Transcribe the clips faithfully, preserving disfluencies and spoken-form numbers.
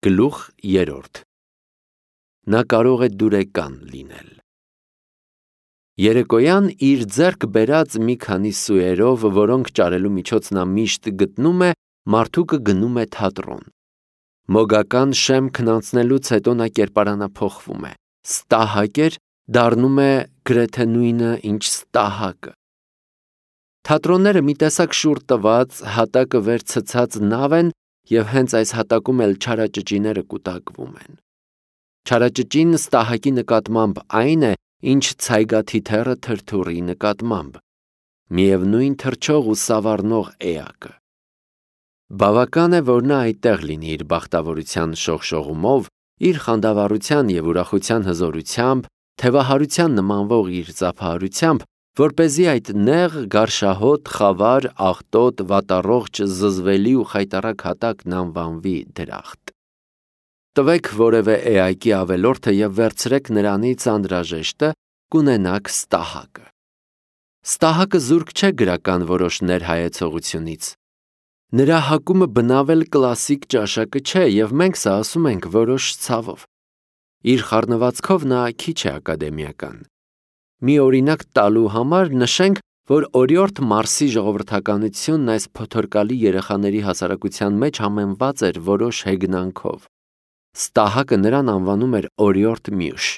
Գլուխ երրորդ. Նա կարող է դուրեկան լինել։ Երեկոյան իր ձեռք բերած մի քանի սուերով, որոնք ճարելու միջոց նա միշտ գտնում է, մարդուկը գնում է թատրոն։ Մոգական շեմքն անցնելուց հետո նա կերպարանափոխվում է, ստահակեր դառնում է գրեթե նույնը, ինչ ստահակը։ Թատրոնները մի տեսակ շուռ տված, հատակը վեր ցցած նավ են և հենց այս հատակում էլ չարաճճիները կուտակվում են։ Չարաճճին ստահակի նկատմամբ այն է, ինչ ցայգաթիթեռը թրթուրի նկատմամբ, միևնույն թռչող ու սավառնող էակը։ Բավական է, որ նա այդտեղ լինի իր բախտավորության շողշողումով, իր խանդավառության և ուրախության հզորությամբ, թևահարության նմանվող իր ծափահարությամբ, որպեսզի այդ նեղ, գարշահոտ, խավար, աղտոտ, վատառողջ, զզվելի ու խայտառակ հատակն անվանվի դրախտ։ Տվեք որևէ էակի ավելորդը և վերցրեք նրանից անհրաժեշտը, կունենաք ստահակը։ Ստահակը զուրկ չէ գրական որոշ ներհայեցողությունից։ Նրա հակումը բնավել կլասիկ ճաշակը չէ, և մենք սա ասում ենք որոշ ցավով։ Իր խառնվածքով նա քիչ է ակադեմիական։ Մի օրինակ տալու համար նշենք, որ օրիորդ Մարսի ժողովրդականությունն այս փոթորկալի երեխաների հասարակության մեջ համեմված էր որոշ հեգնանքով։ Ստահակը նրան անվանում էր օրիորդ Մյուշ։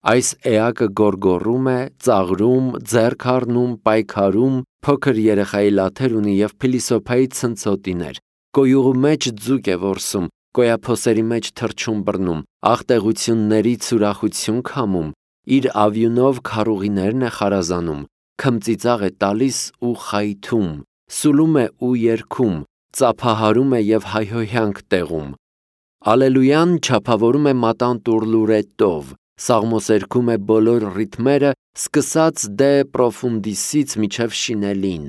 Այս էակը գոռգոռում է, ծաղրում, ձեռք առնում, պայքարում, փոքր երեխայի լաթեր ունի և փիլիսոփայի ցնցոտիներ, կոյուղու մեջ ձուկ է որսում, կոյափոսերի մեջ թռչուն բռնում, աղտեղություններից ուրախություն քամում, իր ավյունով քառուղիներն է խարազանում, քմծիծաղ է տալիս ու խայթում, սուլում է ու երգում, ծափահարում է և հայհոյանք տեղում։ Ալելույան չափավորում է մատանտուրլուրետով, սաղմոսերգում է բոլոր ռիթմերը, սկսած դե պրոֆունդիսից մինչև շինելին,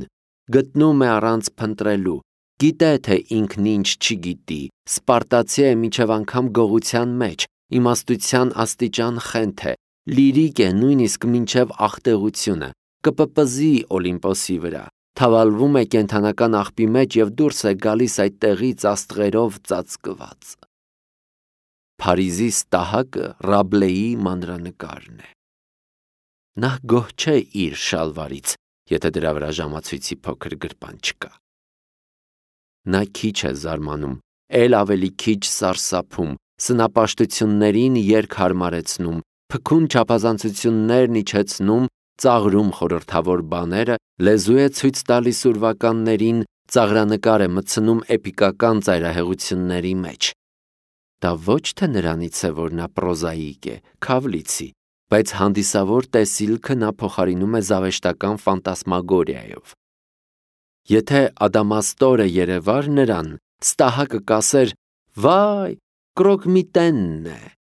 գտնում է առանց փնտրելու, գիտե, թե ինքն ինչ չգիտի, սպարտացի է մինչև անգամ գողության մեջ, իմաստության աստիճան խենթ է, լիրիկ է նույնիսկ մինչև աղտեղությունը, կպպզի Օլիմպոսի վրա, թավալվում է կենդանական աղբի մեջ և դուրս է գալիս այդտեղից աստղերով ծածկված։ Փարիզի ստահակը Ռաբլեի մանրանկարն է։ Նա գոհ չէ իր շալվարից, եթե դրա վրա ժամացույցի փոքր գրպան չկա։ Նա քիչ է զարմանում, էլ ավելի քիչ սարսափում, սնապաշտություններին երկ հարմարեցնում, փքուն չափազանցություններն իջեցնում, ծաղրում խորհրդավոր բաները, լեզու է ցույց տալիս ուրվականներին, ծաղրանկար է մտցնում էպիկական ծայրահեղությունների մեջ։ Դա ոչ թե նրանից է, որ նա պրոզաիկ է, քավլիցի, բայց հանդիսավոր տեսիլքը նա փոխարինում է զավեշտական ֆանտասմագորիայով։ Եթե Ադամաստորը երևար նրան, ստահակը կասեր. «Վայ, Կրոկմիտենն է»։